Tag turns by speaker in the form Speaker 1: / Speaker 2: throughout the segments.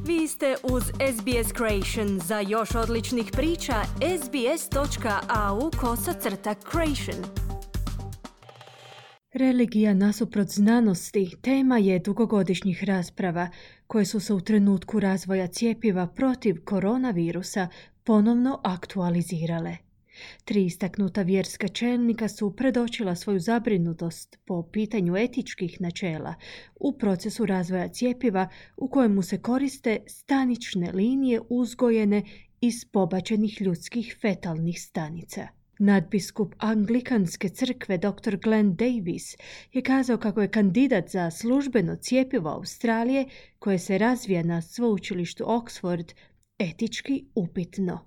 Speaker 1: Vi ste uz SBS Creation. Za još odličnih priča, sbs.au/creation.
Speaker 2: Religija nasuprot znanosti tema je dugogodišnjih rasprava koje su se u trenutku razvoja cjepiva protiv koronavirusa ponovno aktualizirale. 3 istaknuta vjerska čelnika su predočila svoju zabrinutost po pitanju etičkih načela u procesu razvoja cjepiva u kojemu se koriste stanične linije uzgojene iz pobačenih ljudskih fetalnih stanica. Nadbiskup Anglikanske crkve dr. Glenn Davis je kazao kako je kandidat za službeno cjepivo Australije koje se razvija na sveučilištu Oxford etički upitno.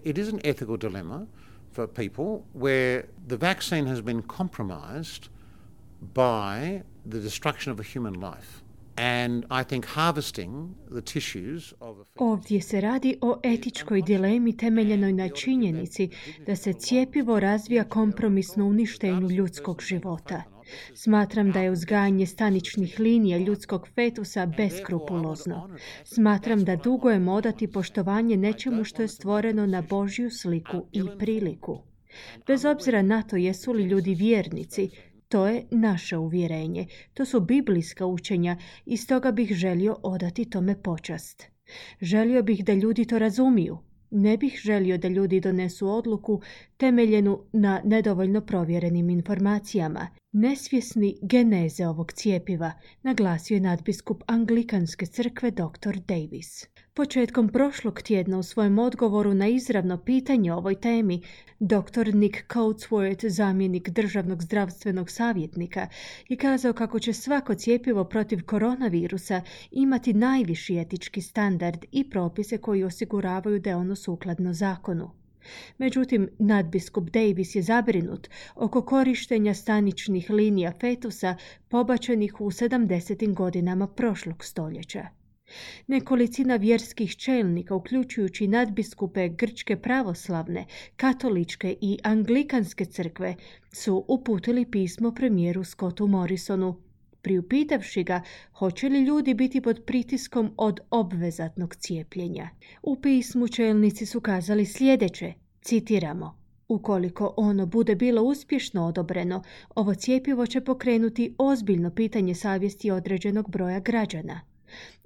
Speaker 3: It is an ethical dilemma for people where the vaccine has been compromised by the destruction of a human life. And I think harvesting the tissues of a...
Speaker 2: Ovdje se radi o etičkoj dilemi temeljenoj na činjenici da se cjepivo razvija kompromisno uništenju ljudskog života. Smatram da je uzgajanje staničnih linija ljudskog fetusa beskrupulozno. Smatram da dugujemo odati poštovanje nečemu što je stvoreno na Božju sliku i priliku. Bez obzira na to jesu li ljudi vjernici, to je naše uvjerenje. To su biblijska učenja i stoga bih želio odati tome počast. Želio bih da ljudi to razumiju. Ne bih želio da ljudi donesu odluku temeljenu na nedovoljno provjerenim informacijama. Nesvjesni geneze ovog cjepiva, naglasio je nadbiskup Anglikanske crkve dr. Davis. Početkom prošlog tjedna u svojem odgovoru na izravno pitanje o ovoj temi, dr. Nick Coatsworth, zamjenik državnog zdravstvenog savjetnika, je kazao kako će svako cjepivo protiv koronavirusa imati najviši etički standard i propise koji osiguravaju da je ono sukladno zakonu. Međutim, nadbiskup Davis je zabrinut oko korištenja staničnih linija fetusa pobačenih u 70. godinama prošlog stoljeća. Nekolicina vjerskih čelnika, uključujući nadbiskupe Grčke pravoslavne, katoličke i anglikanske crkve, su uputili pismo premijeru Scottu Morrisonu, priupitavši ga hoće li ljudi biti pod pritiskom od obvezatnog cijepljenja. U pismu čelnici su kazali sljedeće, citiramo: ukoliko ono bude bilo uspješno odobreno, ovo cjepivo će pokrenuti ozbiljno pitanje savjesti određenog broja građana.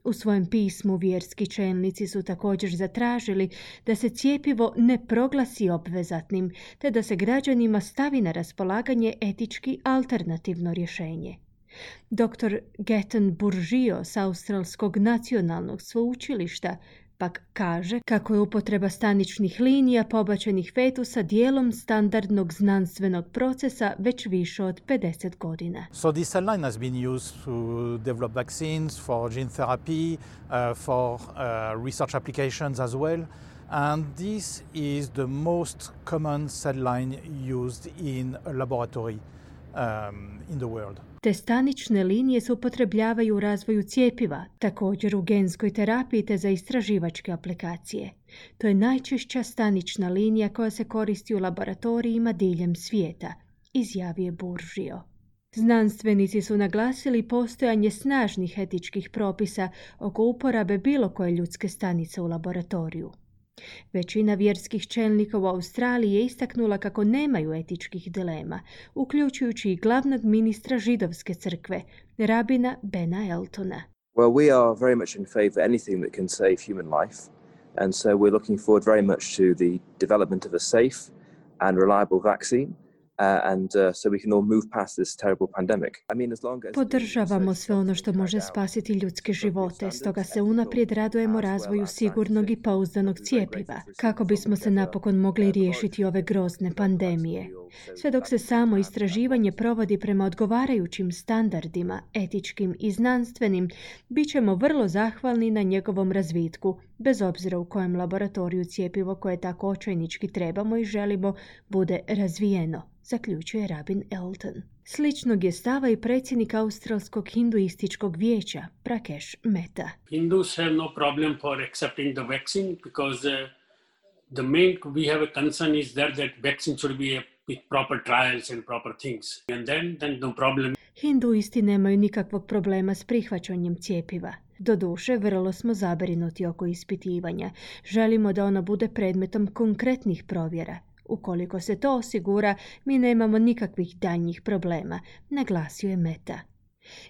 Speaker 2: U svojem pismu vjerski čelnici su također zatražili da se cjepivo ne proglasi obvezatnim, te da se građanima stavi na raspolaganje etički alternativno rješenje. Dr. Gaetan Burgio s Australskog nacionalnog sveučilišta pak kaže kako je upotreba staničnih linija pobačenih fetusa dijelom standardnog znanstvenog procesa već više od 50 godina.
Speaker 4: So this cell line has been used to develop vaccines, for gene therapy, for research applications as well. And this is the most common cell line used in a laboratory in the world.
Speaker 2: Te stanične linije se upotrebljavaju u razvoju cjepiva, također u genskoj terapiji te za istraživačke aplikacije. To je najčešća stanična linija koja se koristi u laboratorijima diljem svijeta, izjavio je Burgio. Znanstvenici su naglasili postojanje snažnih etičkih propisa oko uporabe bilo koje ljudske stanice u laboratoriju. Većina vjerskih čelnika u Australiji je istaknula kako nemaju etičkih dilema, uključujući i glavnog ministra židovske crkve, rabina Bena Eltona.
Speaker 5: Well, we are very much in favor of anything that can save human life, and so we're looking forward very much to the development of a safe and reliable vaccine. So we can all move past this terrible pandemic.
Speaker 2: Podržavamo sve ono što može spasiti ljudske živote, stoga se unaprijed radujemo razvoju sigurnog i pouzdanog cjepiva, kako bismo se napokon mogli riješiti ove grozne pandemije. Sve dok se samo istraživanje provodi prema odgovarajućim standardima, etičkim i znanstvenim, bit ćemo vrlo zahvalni na njegovom razvitku, bez obzira u kojem laboratoriju cjepivo koje tako očajnički trebamo i želimo bude razvijeno, zaključuje rabin Elton. Sličnog je stava i predsjednik Australskog hinduističkog vijeća, Prakesh Mehta.
Speaker 6: Hindus have no problem for accepting the vaccine because the main we have a concern is that vaccine should be with proper trials and proper things. And then no problem.
Speaker 2: Hinduisti nemaju nikakvog problema s prihvaćanjem cjepiva. Doduše, vrlo smo zabrinuti oko ispitivanja. Želimo da ono bude predmetom konkretnih provjera. Ukoliko se to osigura, mi nemamo nikakvih daljnjih problema, naglasio je Meta.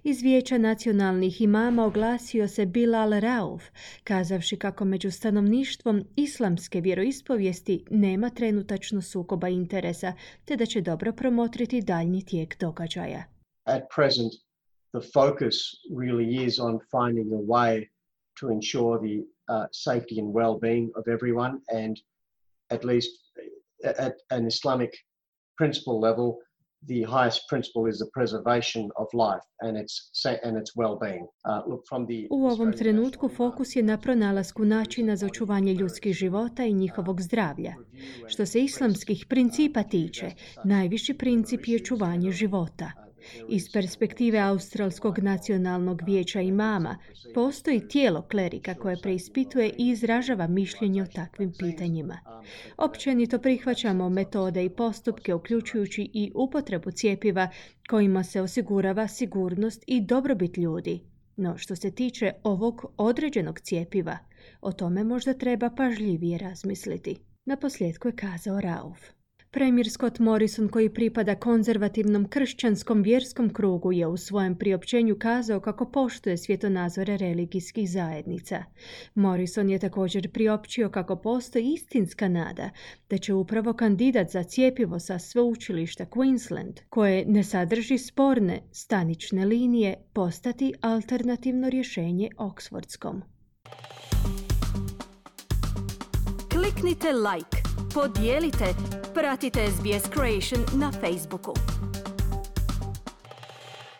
Speaker 2: Iz Vijeća nacionalnih imama oglasio se Bilal Rauf, kazavši kako među stanovništvom islamske vjeroispovijesti nema trenutačno sukoba interesa, te da će dobro promotriti daljnji tijek događaja.
Speaker 7: At present, the focus really is on finding a way to ensure the safety and well-being of everyone, and at least at an Islamic principle level, the highest principle is the preservation of life and its well-being.
Speaker 2: U ovom trenutku fokus je na pronalasku načina za očuvanje ljudskih života i njihovog zdravlja. Što se islamskih principa tiče, najviši princip je očuvanje života. Iz perspektive Australskog nacionalnog vijeća imama postoji tijelo klerika koje preispituje i izražava mišljenje o takvim pitanjima. Općenito prihvaćamo metode i postupke uključujući i upotrebu cjepiva kojima se osigurava sigurnost i dobrobit ljudi. No što se tiče ovog određenog cjepiva, o tome možda treba pažljivije razmisliti. Naposljetku je kazao Rauf. Premijer Scott Morrison, koji pripada konzervativnom kršćanskom vjerskom krugu, je u svojem priopćenju kazao kako poštuje svjetonazore religijskih zajednica. Morrison je također priopćio kako postoji istinska nada da će upravo kandidat za cjepivo sa sveučilišta Queensland, koje ne sadrži sporne stanične linije, postati alternativno rješenje Oxfordskom.
Speaker 1: Kliknite like, podijelite, pratite SBS Creation na Facebooku.